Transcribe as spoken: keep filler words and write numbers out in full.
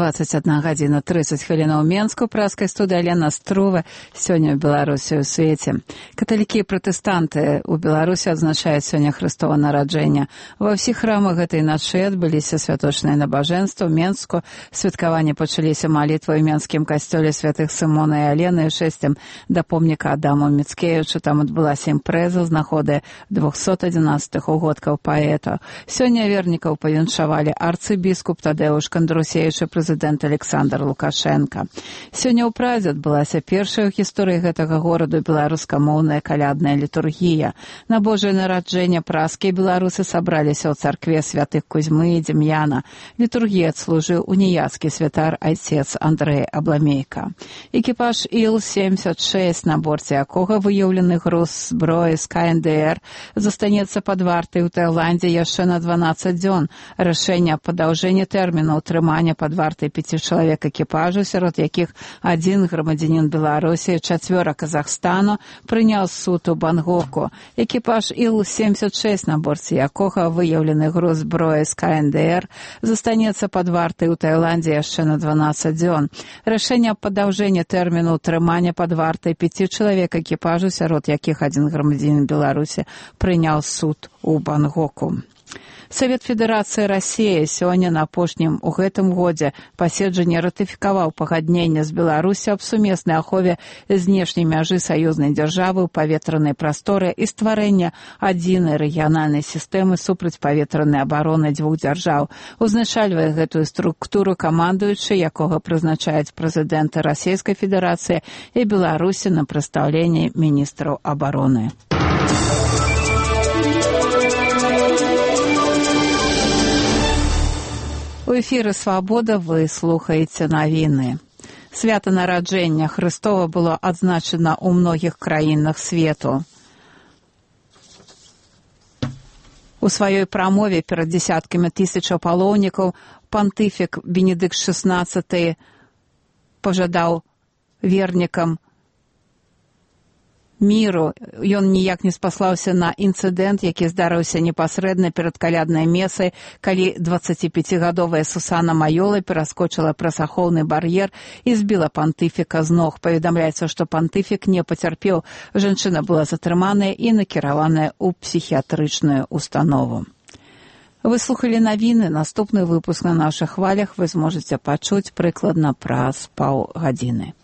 двадцать одна гадзіна тридцать хвілінаў у Менску, праскай студыі Алена Струва. Сёння ў Беларусі ў свеце. Каталікі і пратэстанты ў Беларусі адзначаюць сёння Хрыстова нараджэння. Ва ўсіх храмах гэтай начы адбыліся святочныя набажэнствы. У Менску святкаванне пачаліся малітвай у Менскім касцёле святых Сымона і Алены і шэсцем да помніка Адаму Міцкевічу. Там адбылася імпрэза з нагоды двухсот адзінаццатых угодкаў паэта. Сёння вернікаў павіншавалі арцыбіскуп Тадеуш Кандрусевіч, прэзідэнт Александр Лукашенко. Сёння ў Празі адбылася першая ў гісторыі гэтага гораду беларускамоўная калядная літургія. На Божае нараджэнне празскія беларусы сабраліся ў царкве святых Кузьмы і Дем'яна. Літургію адслужыў уніяцкі святар айцец Андрэй Абламейка. Экіпаж Іл семьдесят шесть, на борце якога выяўлены груз зброі з ка эн дэ эр, застанецца пад вартай у Таіландзе яшчэ на дванаццаць дзён. Рашэнне аб падаўжэнні тэрміну ўтрымання пад вартай пяці чалавек экіпажу, сярод якіх адзін грамадзянін Беларусі, чацвёра Казахстану, прыняў суд у Бангоку. Экіпаж Іл семьдесят шесть, на борце якога выяўлены груз зброі з ка эн дэ эр, застанецца пад вартай у Таіландзе яшчэ на дванаццаць дзён. Рашэнне аб падаўжэнні тэрміну ўтрымання пад вартай пяці чалавек экіпажу, сярод якіх адзін грамадзянін Беларусі, прыняў суд у Бангоку. Савет Федэрацыі Расіі сёння на апошнім у гэтым годзе паседжанні ратыфікаваў пагадненне з Беларусю аб сумеснай ахове знешняй мяжы саюзнай дзяржавы ў паветранай прасторы і стварэння адзінай рэгіянальнай сістэмы супрацьпаветранай абароны дзвюх дзяржаў. Узначальвае гэтую структуру камандуючы, якога прызначаюць прэзідэнты Расійскай Федэрацыі і Беларусі на прадстаўленні міністраў абароны. У эфіры «Свабода» вы слухаеце навіны. Свята нараджэння Хрыстова было адзначана ў многіх краінах свету. У сваёй прамове перад дзесяткамі тысячаў паломнікаў пантыфік Бенедыкт шаснаццаты пажадаў вернікам міру. Ён ніяк не спаслаўся на інцыдэнт, які здарыўся непасрэдна перад каляднай месай, калі дваццаціпяцігадовая Сусана Майола пераскочыла праз ахоўны бар'ер і збіла пантыфіка з ног. Паведамляецца, што пантыфік не пацярпеў. Жанчына была затрыманая і накіраваная ў псіхіятрычную установу. Вы слухалі навіны. Наступны выпуск на нашых хвалях вы зможаце пачуць прыкладна праз паўгадзіны.